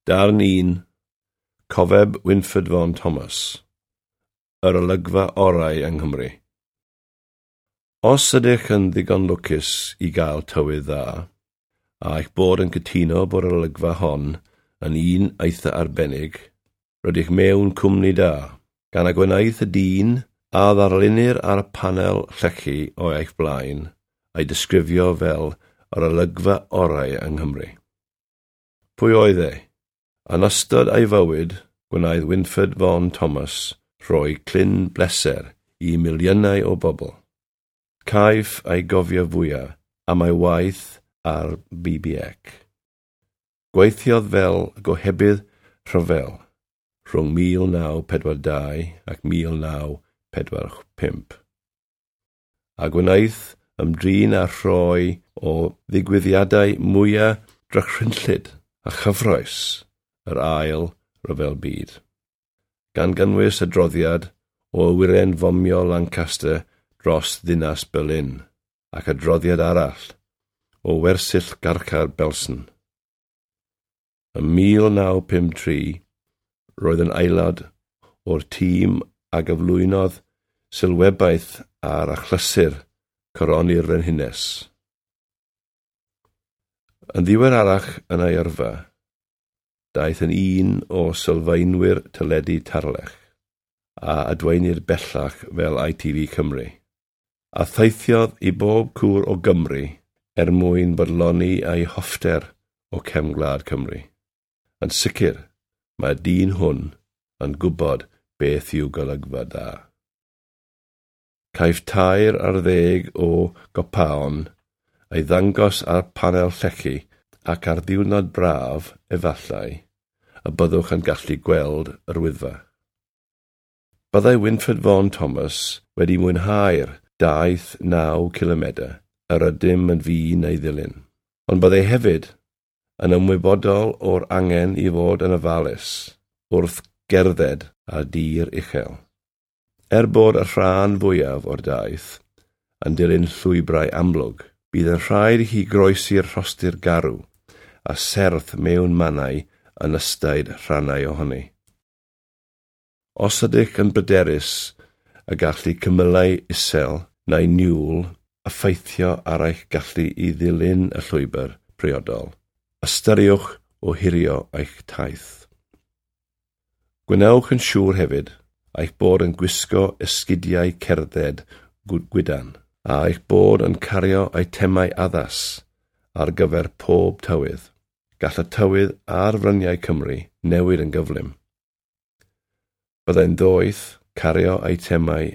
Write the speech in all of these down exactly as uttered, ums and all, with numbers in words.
Darn un, Cofeb Wynford Vaughan Thomas, yr olygfa orau yng Nghymru. Os ydych yn ddigon lwcus i gael tywydd dda, a eich bod yn cytuno bod yr olygfa hon yn un eitha arbennig, rydych mewn cwmni da, gan y gwnaeth y dyn a ddarlunir ar y panel llechi o eich blaen a'i disgrifio fel yr olygfa orau yng Nghymru. Pwy oedd e? Yn ystod ei fywyd, gwnaeth Wynford Vaughan Thomas rhoi clin bleser i miliynau o bobl. Caiff ei gofio fwyaf am ei waith ar B B C. Gweithiodd fel gohebydd rhyfel rhwng mil naw pedwar dau ac mil naw pedwar pump, a gwnaeth ymdrin â rhai o ddigwyddiadau mwyaf drychinllyd a chyffrous yr Ail Ryfel Byd, gan gynnwys adroddiad o awyren fomio Lancaster dros ddinas Berlin ac adroddiad arall o wersyll garchar Belsen. Ym mil naw pum tri, roedd yn aelod o'r tîm a gyflwynodd sylwebaeth ar achlysur coroni'r Frenhines. Yn ddiweddarach yn ei yrfa, daeth yn un o sylfaenwyr teledu Tarlech, a adwaenir bellach fel I T V Cymru, a theithiodd i bob cwr o Gymru er mwyn bodloni ei hoffter o cefn gwlad Cymru. Yn sicr, mae'r dyn hwn yn gwybod beth yw golygfa da. Caiff tair ar ddeg o gopaon ei ddangos ar panel llechi ac ar ddiwrnod braf, efallai, y byddwch yn gallu gweld yr Wyddfa. Byddai Wynford Vaughan Thomas wedi mwynhau'r daith naw cilomedr yr ydym yn fin ei ddilyn, ond byddai hefyd yn ymwybodol o'r angen i fod yn ofalus wrth gerdded ar dir uchel. Er bod y rhan fwyaf o'r daith yn dilyn llwybrau amlwg, bydd yn rhaid i chi groesi'r rhostir garw a serth mewn mannau yn ystod rhannau ohoni. Os ydych yn bryderus y gall cymylau isel neu niwl effeithio ar eich gallu i ddilyn y llwybr priodol, ystyriwch ohirio eich taith. Gwnewch yn siŵr hefyd eich bod yn gwisgo esgidiau cerdded gwydn, a eich bod yn cario eitemau addas ar gyfer pob tywydd. Gall y tywydd ar fryniau Cymru newid yn gyflym. Byddai'n ddoeth cario eitemau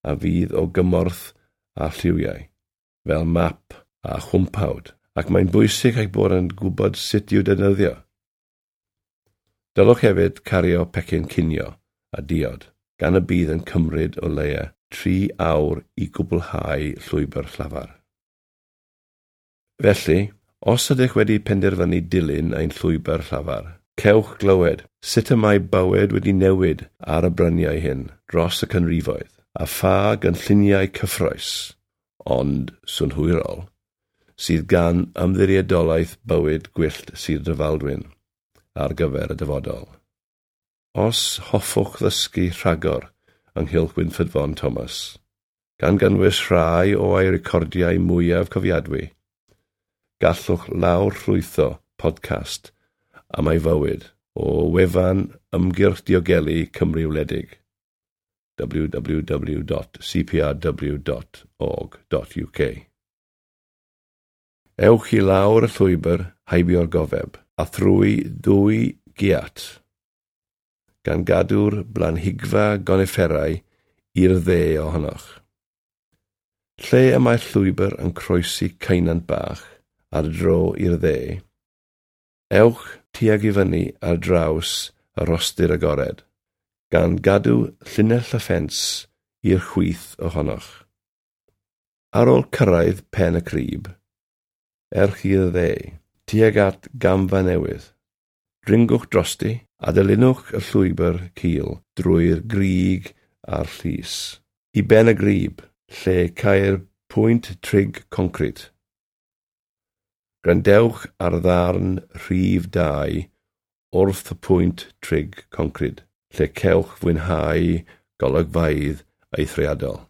a fydd o gymorth â lliwiau, fel map a chwmpawd, ac mae'n bwysig eich bod yn gwybod sut i'w defnyddio. Dylwch hefyd cario pecyn cinio a diod, gan y bydd yn cymryd o leia tri awr i gwblhau llwybr llafar. Felly, os ydych wedi penderfynu dilyn ein llwybr llafar, cewch glywed sut y mae bywyd wedi newid ar y bryniau hyn dros y canrifoedd, a pha gynlluniau cyffrous, ond synhwyrol, sydd gan Ymddiriedolaeth Bywyd Gwyllt Sir Drefaldwyn ar gyfer y dyfodol. Os hoffwch ddysgu rhagor ynghylch Wynford Vaughan Thomas, gan gynnwys rhai o'i recordiau mwyaf cofiadwy, gallwch lawr llwytho podcast am ei fywyd o wefan Ymgyrch Diogelu Cymru Wledig w w w dot c p r w dot org dot u k. Ewch i lawr y llwybr heibio'r gofeb a thrwy ddwy giat, gan gadw'r blanhigfa gonifferau i'r dde ohonoch. Lle y mae'r llwybr yn croesi ceunant bach ar dro i'r dde, ewch tuag i fyny ar draws y rhostir agored, gan gadw llinell y ffens i'r chwith ohonoch. Ar ôl cyrraedd pen y crib, ewch i'r dde, tuag at gamfa newydd. Dringwch drosti a dilynwch y llwybr cul drwy'r grug a'r llus. I ben y grib, lle ceir pwynt trig concrit. Gwrandewch ar ddarn rhif dau. wrth y pwynt trig concrid, lle cewch fwynhau golygfeydd eithriadol.